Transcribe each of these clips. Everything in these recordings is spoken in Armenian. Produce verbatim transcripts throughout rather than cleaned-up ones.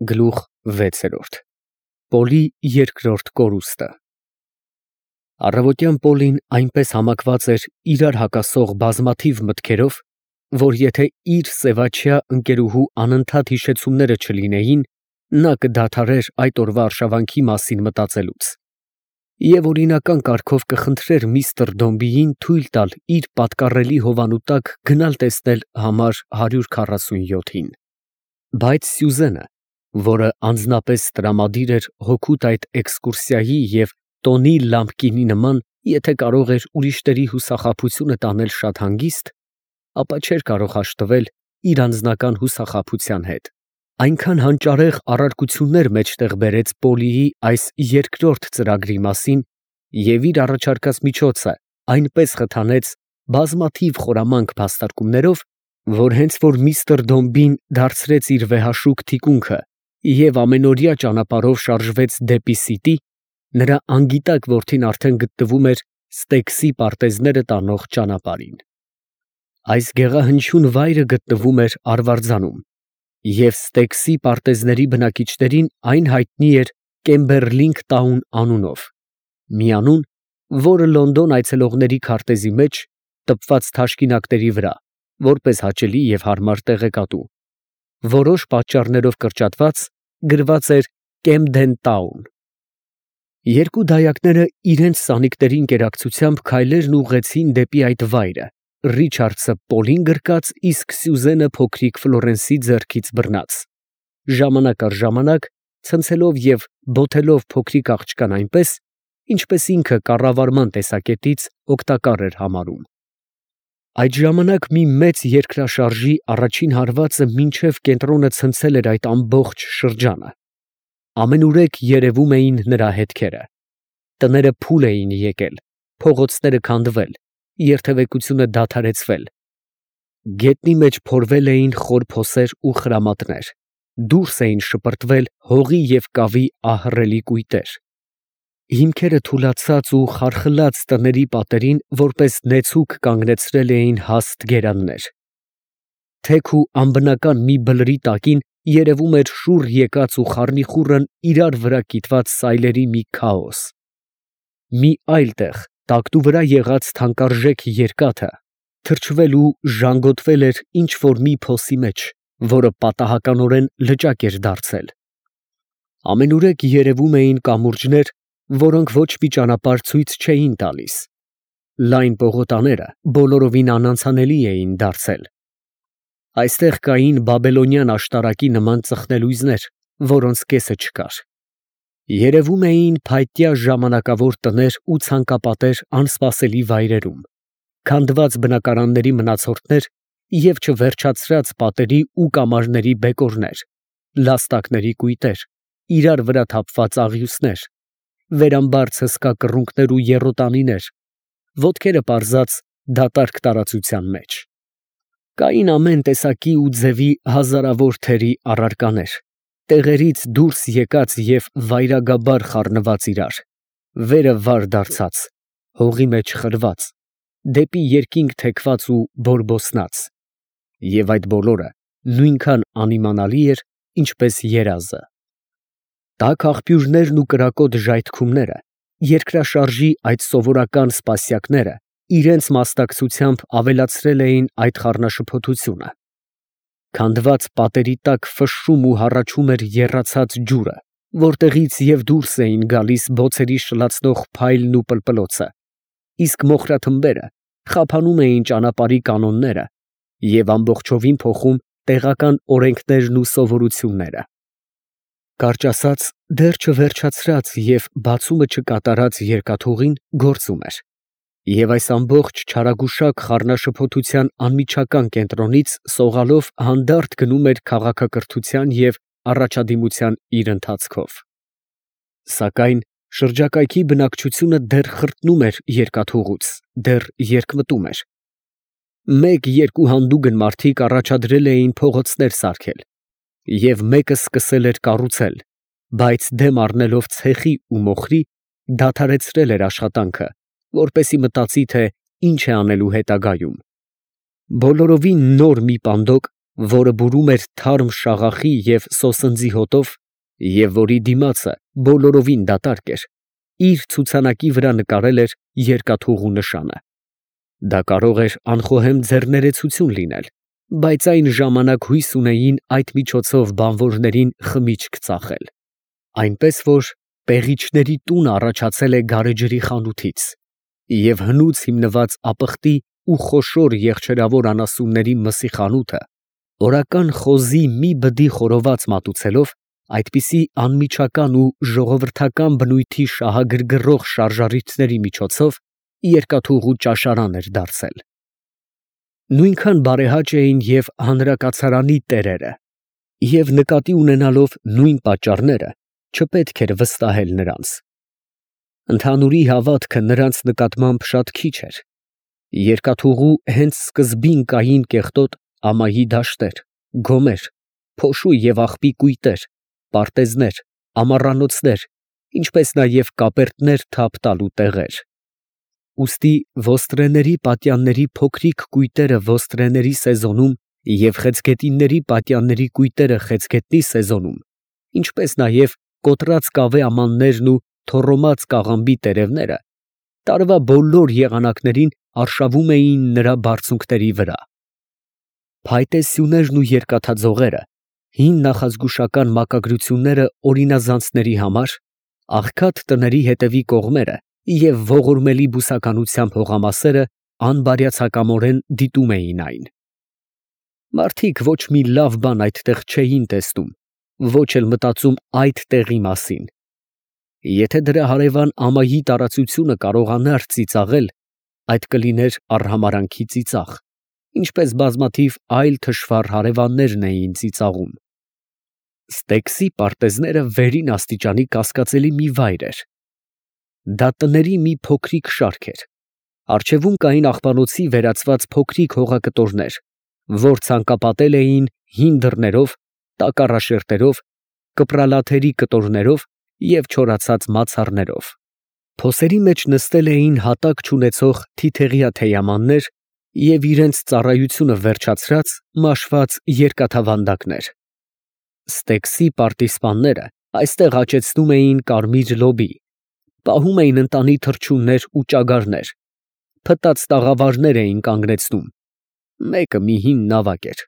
Գլուխ վեց Պոլի երկրորդ կորուստը Առավոտյան Պոլին այնպես համակված էր իրար հակասող բազմաթիվ մտքերով, որ եթե իր սևաչյա ընկերուհու անընդհատ հիշեցումները չլինեին, նա կդադարեր այդ օրվա արշավանքի մասին մտածելուց, և օրինական կարգով կխնդրեր միստր Դոմբիին թույլ տալ իր պատկառելի հովանու տակ գնալ տեսնել համար հարյուր քառասունյոթին, բայց Սյուզենը, որը անձնապես տրամադիր էր հօգուտ այդ էքսկուրսիայի և տոնի լամպկինի նման, եթե կարող էր ուրիշների հուսախաբությունը տանել շատ հանգիստ, ապա չէր կարող հաշտվել իր անձնական հուսախաբության հետ, այնքան հանճարեղ առարկություններ մեջտեղ բերեց Պոլիի այս երկրորդ ծրագրի մասին և իր առաջարկած միջոցը այնպես խթանեց բազմաթիվ խորամանկ փաստարկումներով, որ հենց որ միստր Դոմբին դարձրեց իր վեհաշուկ թիկունքը և ամենօրյա ճանապարհով շարժվեց դեպի Սիտի, նրա անգիտակ որդին արդեն գտնվում էր Ստեքսի պարտեզները տանող ճանապարհին։ Այս գեղահնչյուն վայրը գտնվում էր Արվարձանում, և Ստեքսի պարտեզների բնակիչներին այն հայտնի էր Կեմբերլինգ Տաուն անունով, մի անուն, որը Լոնդոն այցելողների քարտեզի մեջ, տպված թաշկինակների վրա, որպես հաճելի և հարմար տեղեկատու, որոշ պատճառներով կրճատված, գրված էր Կեմդեն Տաուն։ Երկու դայակները իրենց սանիկների ընկերակցությամբ քայլերն ուղղեցին դեպի այդ վայրը, Ռիչարդսը Պոլին գրկած, իսկ Սյուզենը փոքրիկ Ֆլորենսի ձեռքից բռնած, ժամանակ առ ժամանակ ցնցելով և բոթելով փոքրիկ աղջկան այնպես, ինչպես ինքը կառավարման տեսակետից օգտակար էր համարում։ Այդ ժամանակ մի մեծ երկրաշարժի առաջին հարվածը մինչև կենտրոնը ցնցել էր այդ ամբողջ շրջանը, ամենուրեք երևում էին նրա հետքերը, տները փուլ էին եկել, փողոցները քանդվել, երթևեկությունը դադարեցվել, գետնի մեջ փորվել էին խոր փոսեր ու խրամատներ, դուրս էին շպրտվել հողի և կավի ահռելի կույտեր, հիմքերը թուլացած ու խարխլած տների պատերին որպես նեցուկ կանգնեցրել էին հաստ գերաններ, թեք ու անբնական մի բլրի տակին երևում էր շուռ եկած ու խառնիխուռն իրար վրա կիտված սայլերի մի քաոս, մի այլ տեղ տակտու վրա եղած թանկարժեք երկաթը թրջվել ու ժանգոտվել էր ինչ֊որ մի փոսի մեջ, որը պատահականորեն լճակ էր դարձել, ամենուրեք երևում էին կամուրջներ, որոնք ոչ մի ճանապարհ ցույց չէին տալիս, լայն պողոտաները բոլորովին անանցանելի էին դարձել, այստեղ կային բաբելոնյան աշտարակի նման ծխնելույզներ, որոնց կեսը չկար, երևում էին փայտյա ժամանակավոր տներ ու ցանկապատեր անսպասելի վայրերում, քանդված բնակարանների մնացորդներ և չվերջացրած պատերի ու կամարների բեկորներ, լաստակների կույտեր, իրար վրա թափված աղյուսներ, վերամբարձ հսկա կռունկներ ու եռոտանիներ, ոտքերը պարզած դատարկ տարածության մեջ, կային ամեն տեսակի ու ձևի հազարավոր թերի առարկաներ, տեղերից դուրս եկած և վայրագաբար խառնված իրար, վերը վար դարձած, հողի մեջ խրված, դեպի երկինք թեքված ու բորբոսնած, և այդ բոլորը նույնքան անիմանալի էր, ինչպես երազը։ Տաք աղբյուրներն ու կրակոտ ժայթքումները, երկրաշարժի այդ սովորական սպասյակները իրենց մասնակցությամբ ավելացրել էին այդ խառնաշփոթությունը, քանդված պատերի տակ ֆշշում ու հառաչում էր եռացած ջուրը, որտեղից և դուրս էին գալիս բոցերի շլացնող փայլն ու պլպլոցը, իսկ մոխրաթմբերը խափանում էին ճանապարհի կանոնները և ամբողջովին փոխում տեղական օրենքներն ու սովորությունները, կարճ ասած, դեռ չվերջացրած և բացումը չկատարած երկաթուղին գործում էր, և այս ամբողջ չարագուշակ խառնաշփոթության անմիջական կենտրոնից սողալով հանդարտ գնում էր քաղաքակրթության և առաջադիմության իր ընթացքով, սակայն շրջակայքի բնակչությունը դեռ խրտնում էր երկաթուղուց, դեռ երկմտում էր, մեկ֊երկու հանդուգն մարդիկ առաջադրել էին փողոցներ սարքել, և մեկը սկսել էր կառուցել, բայց դեմ առնելով ցեխի ու մոխրի, դադարեցրել էր աշխատանքը, որպեսզի մտածի, թե ինչ է անելու հետագայում, բոլորովին նոր մի պանդոկ, որը բուրում էր թարմ շաղախի և սոսնձի հոտով, և որի դիմացը բոլորովին դատարկ էր, իր ցուցանակի վրա նկարել էր երկաթուղու նշանը։ Դա կարող էր անխոհեմ ձեռներեցություն լինել, բայց այն ժամանակ հույս ունեին այդ միջոցով բանվորներին խմիչք ծախել, այնպես որ պեղիչների տունը առաջացել է գարեջրի խանութից, և հնուց հիմնված ապխտի ու խոշոր եղջերավոր անասունների մսի խանութը օրական խոզի մի բդի խորոված մատուցելով, այդպիսի անմիջական ու ժողովրդական բնույթի շահագրգռող շարժառիթների միջոցով երկաթուղու ճաշարան էր դարձել։ Նույնքան բարեհաճ էին և հանրակացարանի տերերը, և նկատի ունենալով նույն պատճառները, չպետք էր վստահել նրանց։ Ընդհանուրի հավատքը նրանց նկատմամբ շատ քիչ էր։ Երկաթուղու հենց սկզբին կային կեղտոտ ամայի դաշտեր, գոմեր, փոշու և աղբի կույտեր, պարտեզներ, ամառանոցներ, ինչպես նաև կապերտներ թափ տալու տեղեր։ Ուստի ոստրեների պատյանների փոքրիկ կույտերը ոստրեների սեզոնում և խեցգետինների պատյանների կույտերը խեցգետնի սեզոնում, ինչպես նաև կոտրած կավե ամաններն ու թոռոմած կաղամբի տերևները տարվա բոլոր եղանակներին արշավում էին նրա բարձունքների վրա։ Փայտե սյուներն ու երկաթաձողերը, հին նախազգուշական մակագրությունները օրինազանցների համար, աղքատ տների հետևի կողմերը և ողորմելի բուսականությամբ հողամասերը անբարյացակամորեն դիտում էին այն։ Մարդիկ ոչ մի լավ բան այդտեղ չէին տեսնում, ոչ էլ մտածում այդ տեղի մասին։ Եթե դրա հարևան ամայի տարածությունը կարողանար ծիծաղել, այդ կլիներ արհամարհանքի ծիծաղ, ինչպես բազմաթիվ այլ թշվառ հարևաններն էին ծիծաղում։ Ստեքսի պարտեզները վերին աստիճանի կասկածելի մի վայր էր։ Դա տների մի փոքրիկ շարք էր։ Առջևում կային աղբանոցի վերածված փոքրիկ հողակտորներ, որ ցանկապատել էին հին դռներով, տակառաշերտերով, կպրալաթերի կտորներով և չորացած մացառներով։ Փոսերի մեջ նստել էին հատակ չունեցող թիթեղյա թեյամաններ և իրենց ծառայությունը վերջացրած մաշված երկաթավանդակներ։ Ստեքսի պարտիզպանները այստեղ աճեցնում էին կարմիր լոբի, պահում էին ընտանի թռչուններ ու ճագարներ, փտած տաղավարներ էին կանգնեցնում, մեկը մի հին նավակ էր,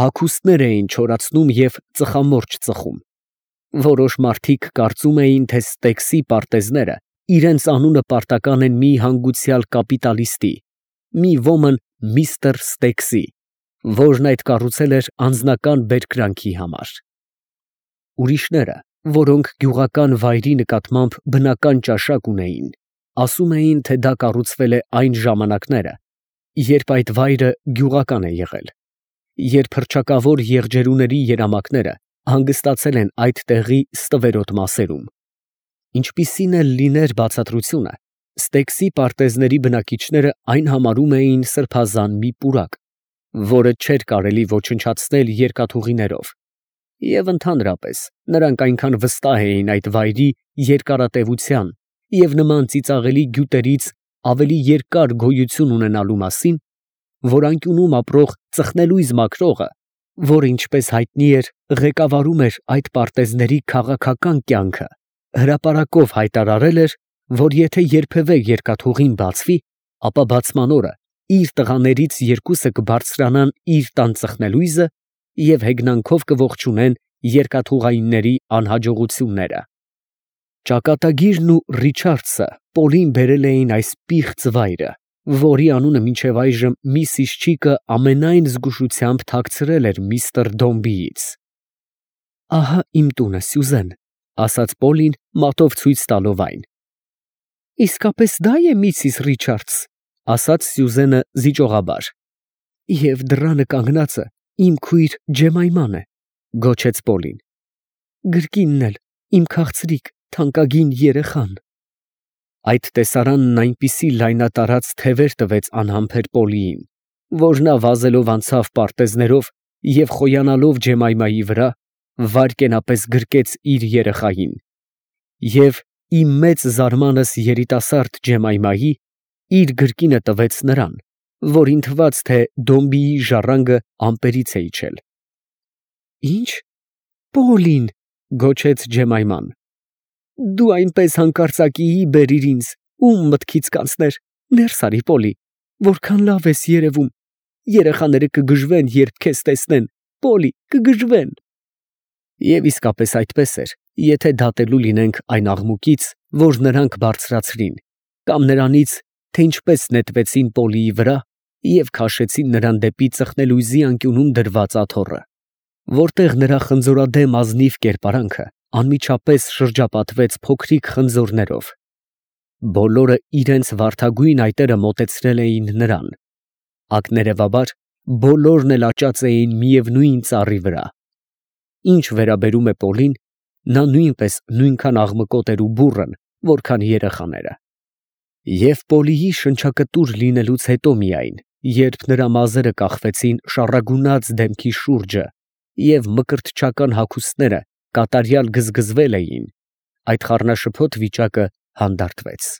հագուստներ էին չորացնում և ծխամորճ ծխում։ Որոշ մարդիկ կարծում էին, թե Ստեքսի պարտեզները իրենց անունը պարտական են մի հանգուցյալ կապիտալիստի, մի ոմն միստր Ստեքսի, որն այդ կառուցել էր անձնական բերկրանքի համար։ Ուրիշները, որոնք գյուղական վայրի նկատմամբ բնական ճաշակ ունեին, ասում էին, թե դա կառուցվել է այն ժամանակները, երբ այդ վայրը գյուղական է եղել, երբ հռչակավոր եղջերուների երամակները հանգստացել են այդ տեղի ստվերոտ մասերում։ Ինչպիսին էլ լիներ բացատրությունը, Ստեքսի պարտեզների բնակիչները այն համարում էին սրբազան մի պուրակ, որը չէր կարելի ոչնչացնել երկաթուղիներով, և ընդհանրապես նրանք այնքան վստահ էին այդ վայրի երկարատևության և նման ծիծաղելի գյուտերից ավելի երկար գոյություն ունենալու մասին, որ անկյունում ապրող ծխնելույզ մաքրողը, որը, ինչպես հայտնի էր, ղեկավարում էր այդ պարտեզների քաղաքական կյանքը, հրապարակով հայտարարել էր, որ եթե երբևէ երկաթուղին բացվի, ապա բացման օրը իր տղաներից երկուսը կբարձրանան իր տան ծխնելույզը և հեգնանքով կողջունեն երկաթուղայինների անհաջողությունները։ Ճակատագիրն ու Ռիչարդսը Պոլին բերել էին այս պիղծ վայրը, որի անունը մինչև այժմ միսիս Չիկը ամենայն զգուշությամբ թաքցրել էր միստր Դոմբիից։ «Ահա իմ տունը, Սյուզեն», ֊ ասաց Պոլին, մատով ցույց տալով այն։ ֊ Իսկապես դա է, միսիս Ռիչարդս, ֊ ասաց Սյուզենը զիջողաբար։ ֊ Եվ դռանը կանգնածը իմ քույր Ջեմայման է, ֊ գոչեց Պոլին։ ֊ Գրկինն էլ իմ քաղցրիկ թանկագին երեխան։ Այդ տեսարանն այնպիսի լայնատարած թևեր տվեց անհամբեր Պոլիին, որ նա վազելով անցավ պարտեզներով և խոյանալով Ջեմայմայի վրա, վայրկենապես գրկեց իր երեխային, և ի մեծ զարմանս երիտասարդ Ջեմայմայի իր գրկինը տվեց նրան, որին թված, թե դոմբիի ժառանգը ամպերից է իջել։ Ինչ, Պոլին, գոչեց Ջեմայման, դու այնպես հանկարծակիի բերիր ինձ, ում մտքից կանցներ, ներս արի Պոլի, որքան լավ ես երևում, երեխաները կգժվեն, երբ քեզ տեսնեն, Պոլի, կգժվեն։ Եվ իսկապես այդպես էր, եթե դատելու լինենք այն աղմուկից, որ նրանք բարձրացրին, կամ նրանից, թե ինչպես նետվեցին Պոլիի վրա և քաշեցին նրան դեպի ծխնելույզի անկյունում դրված աթոռը, որտեղ նրա խնձորադեմ ազնիվ կերպարանքը անմիջապես շրջապատվեց փոքրիկ խնձորներով։ Բոլորը իրենց վարդագույն այտերը մոտեցրել էին նրան, ակներևաբար բոլորն էլ աճած էին միևնույն ծառի վրա։ Ինչ վերաբերում է Պոլին, նա նույնպես նույնքան աղմկոտ էր ու բուռն, որքան երեխաները։ Եվ Պոլիի շնչակտուր լինելուց հետո միայն, երբ նրա մազերը կախվեցին շառագունած դեմքի շուրջը և մկրտչական հագուստները կատարյալ գզգզվել էին, այդ խառնաշփոթ վիճակը հանդարտվեց։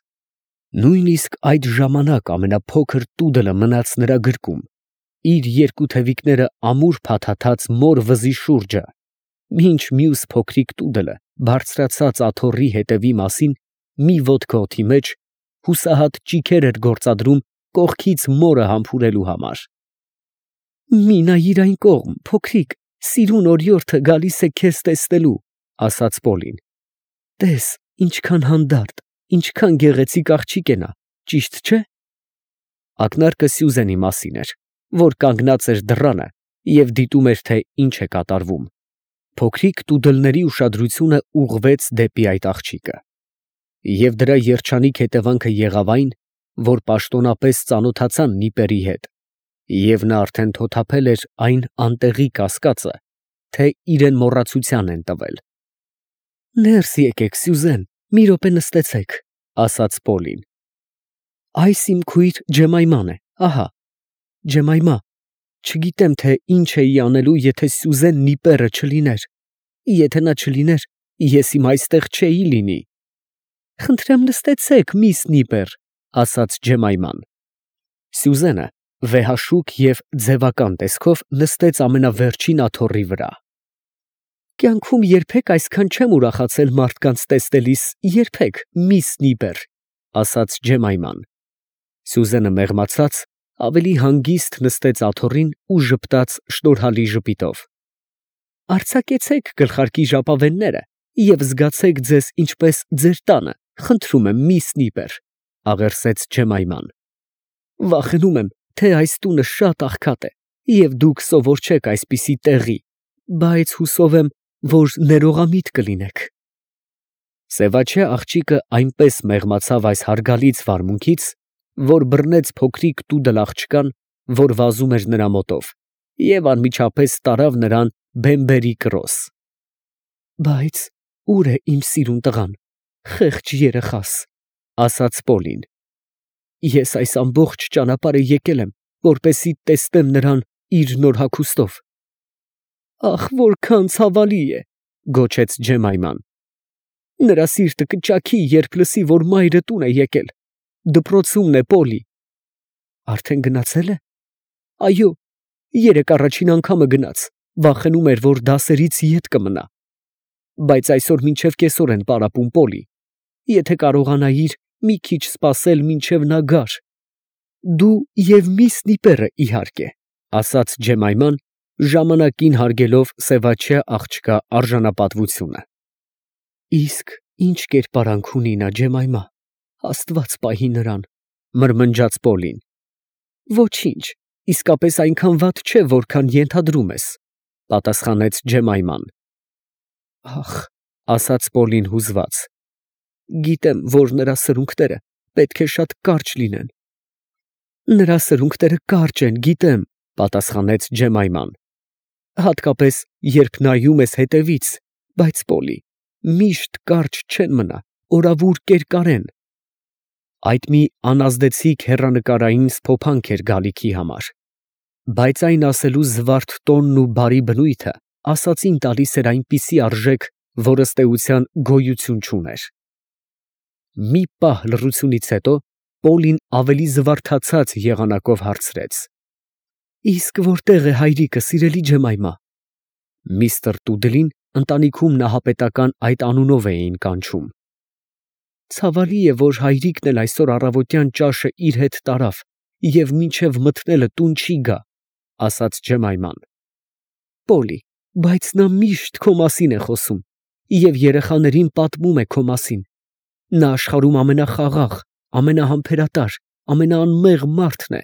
Նույնիսկ այդ ժամանակ ամենափոքր տուդելը մնաց նրա գրկում, իր երկու թևիկները ամուր փաթաթած մոր վզի շուրջը, մինչ մյուս փոքրիկ տուդելը բարձրացած աթոռի հետևի մասին մի ոտք օդի մեջ հուսահատ ճիգեր էր գործադրում կողքից մորը համբուրելու համար։ Մի նայիր այն կողմ, փոքրիկ, սիրուն օրիորդը գալիս է քեզ տեսնելու, ասաց Պոլին։ Տես, ինչքան հանդարտ, ինչքան գեղեցիկ աղջիկ է նա, ճիշտ չէ։ Ակնարկը Սյուզենի մասին էր, որ կանգնած էր դռանը և դիտում էր, թե ինչ է կատարվում։ Փոքրիկ տուդելների ուշադրությունը ուղղվեց դեպի այդ աղջիկը։ Եվ դրա երջանիկ հետևանքը եղավ այն, որ պաշտոնապես ծանոթացան նիպերի հետ, և նա արդեն թոթափել էր այն անտեղի կասկածը, թե իրեն մոռացության են տվել։ Ներս եկեք, Սյուզեն, մի րոպե նստեցեք, ասաց Պոլին։ Այս իմ քույր Ջեմայման է, ահա։ Ջեմայմա, չգիտեմ, թե ինչ էի անելու, եթե Սյուզեն նիպերը չլիներ։ Եթե նա չլիներ, ես իմ այստեղ չէի լինի։ Խնդրեմ նստեցեք, միս Նիպեր, ասաց Ջեմայման։ Սյուզենը վեհաշուք և ձևական տեսքով նստեց ամենավերջին աթոռի վրա։ Կյանքում երբեք այսքան չեմ ուրախացել մարդկանց տեսնելիս, երբեք, միս Նիպեր, ասաց Ջեմայման։ Սյուզենը մեղմացած ավելի հանգիստ նստեց աթոռին ու ժպտաց շնորհալի ժպիտով։ Արձակեցեք գլխարկի ժապավենները և զգացեք ձեզ ինչպես ձեր տանը, խնդրում եմ, միս Նիպեր, աղերսեց Ջեմայման։ Վախենում եմ, թե այս տունը շատ աղքատ է, և դուք սովոր չեք այսպիսի տեղի, բայց հուսով եմ, որ ներողամիտ կլինեք։ Սևաչյա աղջիկը այնպես մեղմացավ այս հարգալից վարմունքից, որ բռնեց փոքրիկ տուդել աղջկան, որ վազում էր նրա մոտով, և անմիջապես տարավ նրան բեմբերի կրոս։ Բայց ո՞ւր է իմ սիրուն տղան, խեղճ երեխաս, ասաց Պոլին։ Ես այս ամբողջ ճանապարհը եկել եմ, որպեսզի տեսնեմ նրան իր նոր հագուստով։ Ախ, որքան ցավալի է, գոչեց Ջեմայման։ Նրա սիրտը կճաքի, երբ լսի, որ մայրը տուն է եկել, դպրոցումն է Պոլի։ Արդեն գնացել է։ Այո, երեկ առաջին անգամը գնաց, վախենում էր, որ դասերից ետ կմնա։ Բայց այսօր մինչև կեսօր են պարապում Պոլի։ Եթե կարողանայիր մի քիչ սպասել, մինչև նա գար։ Դու և միս Նիպերը, իհարկե, ասաց Ջեմայման, ժամանակին հարգելով սևաչյա աղջկա արժանապատվությունը։ Իսկ ինչ կերպարանք ունի նա, Ջեմայմա, Աստված պահի նրան, մրմնջաց Պոլին։ Ոչինչ, իսկապես այնքան վատ չէ, որքան ենթադրում ես, պատասխանեց Ջեմայման։ Ախ, ասաց Պոլին հուզված, գիտեմ, որ նրա սրունքները պետք է շատ կարճ լինեն։ Նրա սրունքները կարճ են, գիտեմ, պատասխանեց Ջեմայման։ Հատկապես, երբ նայում ես հետևից, բայց Պոլի, միշտ կարճ չեն մնա, օրավուր կերկարեն։ Այդ մի անազդեցիկ հեռանկարային սփոփանք էր գալիքի համար, բայց այն ասելու զվարթ տոնն ու բարի բնույթը ասածին տալիս էր այնպիսի արժեք, որ ըստ էության գոյություն չուներ։ Մի պահ լռությունից հետո Պոլին ավելի զվարթացած եղանակով հարցրեց. Իսկ որտե՞ղ է հայրիկը, սիրելի Ջեմայմա։ Միստր Տուդլին ընտանիքում նահապետական այդ անունով էին կանչում։ Ցավալի է, որ հայրիկն էլ այսօր առավոտյան ճաշը իր հետ տարավ և մինչև մթնելը տուն չի գա, ասաց Ջեմայման։ Պոլի, բայց նա միշտ քո մասին է խոսում և երեխաներին պատմում է քո մասին։ Նա աշխարհում ամենախաղաղ, ամենահամբերատար, ամենաանմեղ մարդն է։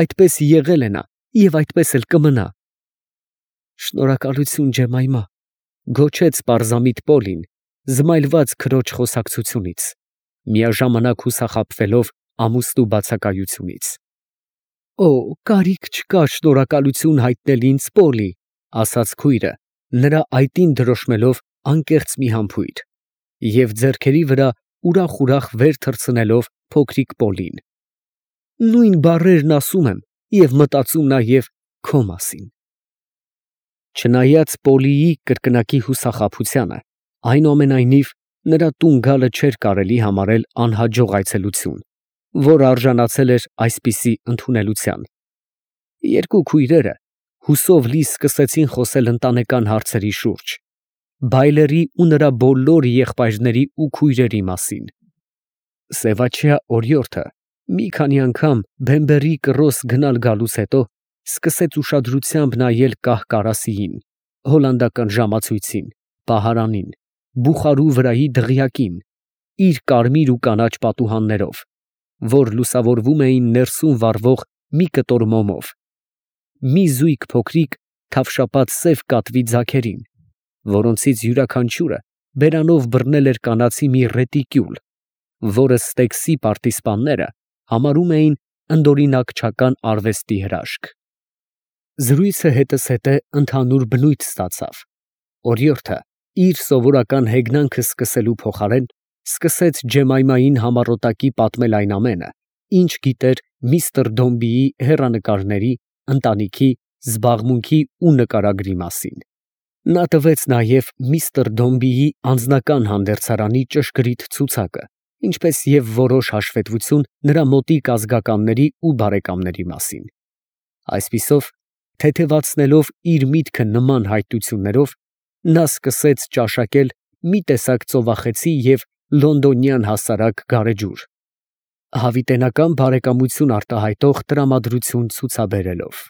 Այդպես եղել է նա և այդպես էլ կմնա։ Շնորհակալություն, Ջեմայմա, գոչեց պարզամիտ Պոլին, զմայլված քրոջ խոսակցությունից, միաժամանակ հուսախաբվելով ամուսնու բացակայությունից։ Օ, կարիք չկա շնորհակալություն հայտնել ինձ, Պոլի, ասաց քույրը, նրա այտին դրոշմելով անկեղծ մի համբույր և ձեռքերի վրա ուրախ֊ուրախ վեր թռցնելով փոքրիկ Պոլին։ Նույն բառերն ասում եմ և մտածում նաև քո մասին։ Չնայած Պոլիի կրկնակի հուսախաբությանը, այնուամենայնիվ նրա տուն գալը չէր կարելի համարել անհաջող այցելություն, որ արժանացել էր այսպիսի ընդունելության։ Երկու քույրերը հուսով լի սկսեցին խոսել ընտանեկան հարցերի շուրջ, բայլերի ու նրա բոլոր եղբայրների ու քույրերի մասին։ Սևաչյա օրիորդը մի քանի անգամ բեմբերի կռոս գնալ֊գալուց հետո սկսեց ուշադրությամբ նայել կահ֊կարասիին, հոլանդական ժամացույցին, պահարանին, բուխարու վրայի դղյակին, իր կարմիր ու կանաչ պատուհաններով, որ լուսավորվում էին ներսում վառվող մի կտոր մոմով, մի զույգ փոքրիկ թավշապատ սև կատվի ձագերին, որոնցից յուրաքանչյուրը բերանով բռնել էր կանացի մի ռետիկյուլ, որը Ստեքսի պարտիզպանները համարում էին ընդօրինակչական արվեստի հրաշք։ Զրույցը հետզհետե ընդհանուր բնույթ ստացավ։ Օրիորդը իր սովորական հեգնանքը սկսելու փոխարեն սկսեց Ջեմայմային համառոտակի պատմել այն ամենը, ինչ գիտեր միստր Դոմբիի հեռանկարների, ընտանիքի, զբաղմունքի ու նկարագրի մասին։ Նա տվեց նաև միստր Դոմբիի անձնական հանդերձարանի ճշգրիտ ցուցակը, ինչպես և որոշ հաշվետվություն նրա մոտիկ ազգականների ու բարեկամների մասին։ Այսպիսով, թեթևացնելով իր միտքը նման հայտություններով, նա սկսեց ճաշակել մի տեսակ ծովախեցի և լոնդոնյան հասարակ գարեջուր, հավիտենական բարեկամություն արտահայտող տրամադրություն ցուցաբերելով։